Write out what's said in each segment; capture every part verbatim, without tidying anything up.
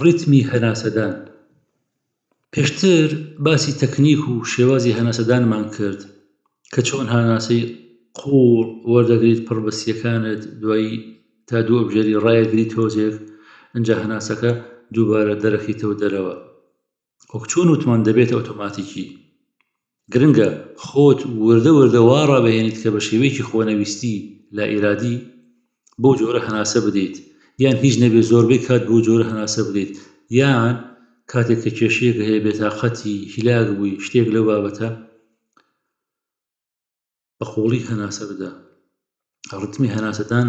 ڕیتمی هەناسەدان. پێشتر باسی تەکنیک و شێوازی هەناسەدانمان کرد کە چۆن هەناسەی قووڵ وەردەگریت پڕ بە سییەکانت، دوایی تا دوو ئەبژێری ڕایەگری تۆزێک، ئینجا هەناسەکە دووبارە دەرەخیتەوە دەرەوە. وەک چۆن وتمان دەبێتە ئۆتۆماتیکی. گرنگە خۆت وردە وردە وا ڕابهێنیت کە بە شێوەیەکی خۆنەویستی لا ئیرادی بەو جۆرە هەناسە بدەیت، یان هیچ نەبێت زۆربەی کات بەو جۆرە هەناسە بدەیت، یان کاتێک کە کێشەیەک هەیە بێتاقەتی هیلاک بووی شتێک لەو بابەتە بە قوڵی هەناسە بدە. ڕتمی هەناسەدان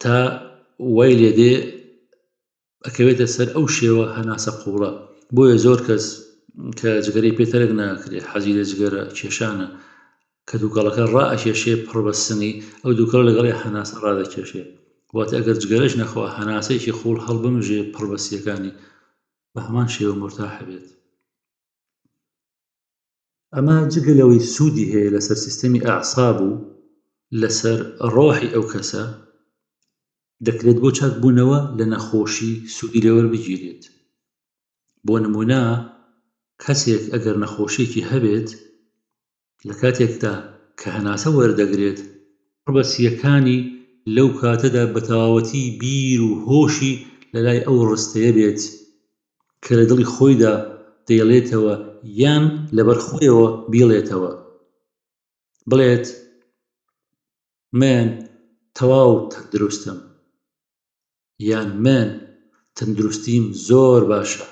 تا وای لێدێ ئەکەوێتە سەر ئەو شێوە هەناسە قوڵە. بۆیە زۆر کەس کە جگەرەی پێ تەرک ناکرێ، حەزی لە جگەرە کێشانە، کە دووکەڵەکە ڕائەکێشێ پڕ بە سنگی، ئەو دووکەڵە لەگەڵی هەناسە ڕادەکێشێ. واتە ئەگەر جگەرەش نەخوا هەناسەیەکی قوڵ هەڵبمژێ پڕ بە سیەکانی بە هەمان شێوە مورتاح بێت. ئەمە جگە لەوەی سوودی هەیە لەسەر سیستەمی ئەعساب و لەسەر ڕۆحی ئەو کەسە، دەکرێت بۆ چاکبوونەوە لە نەخۆشی سوودی لێوەربگیرێت. بۆ نمونە کەسێک ئەگەر نەخۆشیەکی هەبێت لە کاتێکدا کە هەناسە وەردەگرێت، پڕ بە سییەکانی لەو کاتەدا بە تەواوەتی بیر و هۆشی لەلای ئەو ڕستەیە بێت کە لە دڵی خۆیدا دەیڵێتەوە یان لەبەر خۆیەوە بیڵێتەوە، بڵێت من تەواو تەندروستم یان من تەندروستیم زۆر باشە.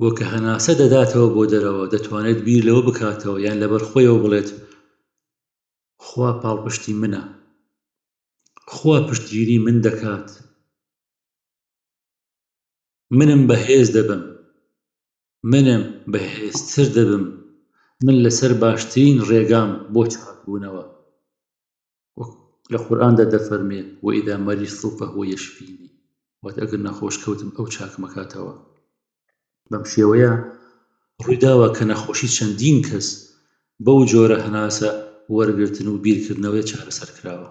وە کە هەناسە دەداتەوە بۆ دەرەوە دەتوانێت بیر لەوە بکاتەوە یان لەبەر خۆیەوە بڵێت خوا پاڵپشتی منە، خوا پشتگیری من دەکات، منم بەهێز دەبم، منم بەهێزتر دەبم، من لەسەر باشترین ڕێگام بۆ چاکبوونەوە. وەک لە قورئاندا دەفەرمێ وإذا مرضت فهو یشفینی، واتە ئەگەر نەخۆش کەوتم ئەو چاکمەکاتەوە. بەم شێوەیە ڕوویداوە کە نەخۆشی چەندین کەس بەو جۆرە هەناسە وەرگرتن و بیرکردنەوەیە چارەسەر کراوە.